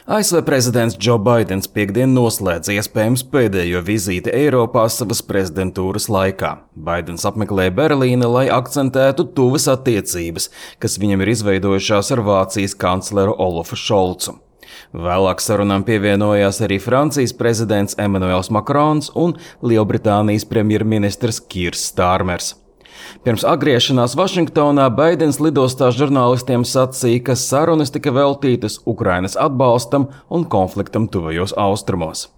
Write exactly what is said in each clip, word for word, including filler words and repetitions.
A S V prezidents Džo Baidens piekdien noslēdz iespējams pēdējo vizīti Eiropā savas prezidentūras laikā. Baidens apmeklēja Berlīni, lai akcentētu tuvas attiecības, kas viņam ir izveidojušās ar Vācijas kancleru Olafu Šolcu. Vēlāk sarunām pievienojās arī Francijas prezidents Emmanuels Makrons un Lielbritānijas premjerministrs Kirs Stārmers. Pirms atgriešanās Vašingtonā Baidens lidostā žurnālistiem sacīja, ka sarunas tika veltītas Ukrainas atbalstam un konfliktam tuvajos austrumos.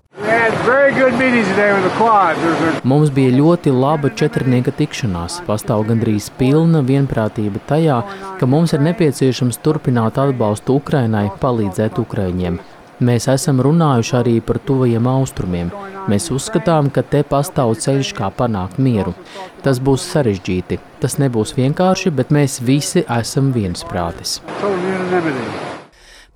Mums bija ļoti laba četrnieka tikšanās. Pastāv gandrīz pilna vienprātība tajā, ka mums ir nepieciešams turpināt atbalstu Ukrainai, palīdzēt Ukraiņiem. Mēs esam runājuši arī par tuvajiem austrumiem. Mēs uzskatām, ka te pastāv ceļš, kā panākt mieru. Tas būs sarežģīti. Tas nebūs vienkārši, bet mēs visi esam viensprātis.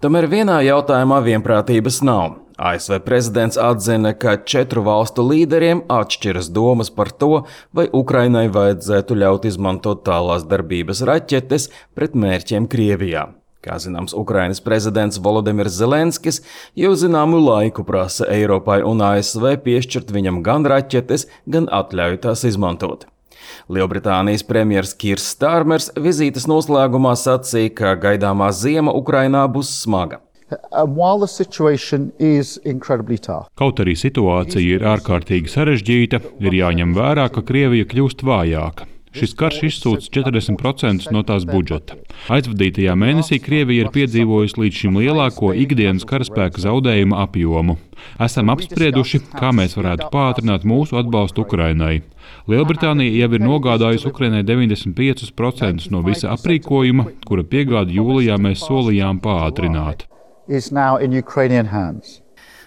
Tomēr vienā jautājumā vienprātības nav. A S V prezidents atzina, ka četru valstu līderiem atšķiras domas par to, vai Ukrainai vajadzētu ļaut izmantot tālās darbības raķetes pret mērķiem Krievijā. Kā zināms, Ukrainas prezidents Volodimirs Zelenskis jau zināmu laiku prasa Eiropai un A S V piešķirt viņam gan raķetes, gan atļauj tās izmantot. Lielbritānijas premjers Kirs Stārmers vizītes noslēgumā sacīja, ka gaidāmā ziema Ukrainā būs smaga. Kaut arī situācija ir ārkārtīgi sarežģīta, ir jāņem vērā, ka Krievija kļūst vājāka. Šis karš izsūc četrdesmit procentus no tās budžeta. Aizvadītajā mēnesī Krievija ir piedzīvojusi līdz šim lielāko ikdienas karaspēka zaudējumu apjomu. Esam apsprieduši, kā mēs varētu pātrināt mūsu atbalstu Ukrainai. Lielbritānija jau ir nogādājusi Ukrainai deviņdesmit piecus procentus no visa aprīkojuma, kura piegādi jūlijā mēs solījām pātrināt.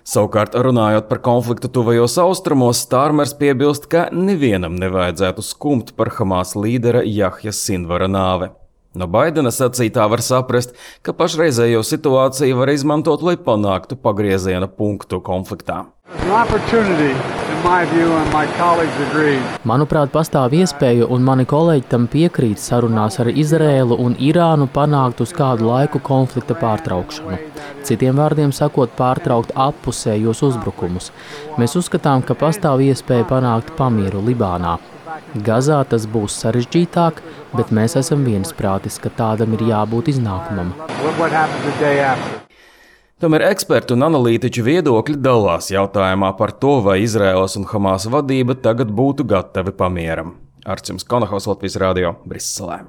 Savukārt, runājot par konfliktu tuvajos austrumos, Stārmers piebilst, ka nevienam nevajadzētu skumt par Hamas līdera Jahja Sinvara nāvi. No Baidena sacītā var saprast, ka pašreizējo situāciju var izmantot, lai panāktu pagrieziena punktu konfliktā. Manuprāt, pastāv iespēja, un mani kolēģi tam piekrīt, sarunās ar Izraēlu un Irānu panākt uz kādu laiku konflikta pārtraukšanu. Citiem vārdiem sakot, pārtraukt appusējos uzbrukumus. Mēs uzskatām, ka pastāv iespēja panākt pamieru Libānā. Gazā tas būs sarežģītāk, bet mēs esam viensprātis, ka tādam ir jābūt iznākumam. Tomēr ekspertu un analītiķu viedokļi dalās jautājumā par to, vai Izraēlas un Hamas vadība tagad būtu gatavi pamieram. Arčuns Konahaus, Latvijas radio, Briselē.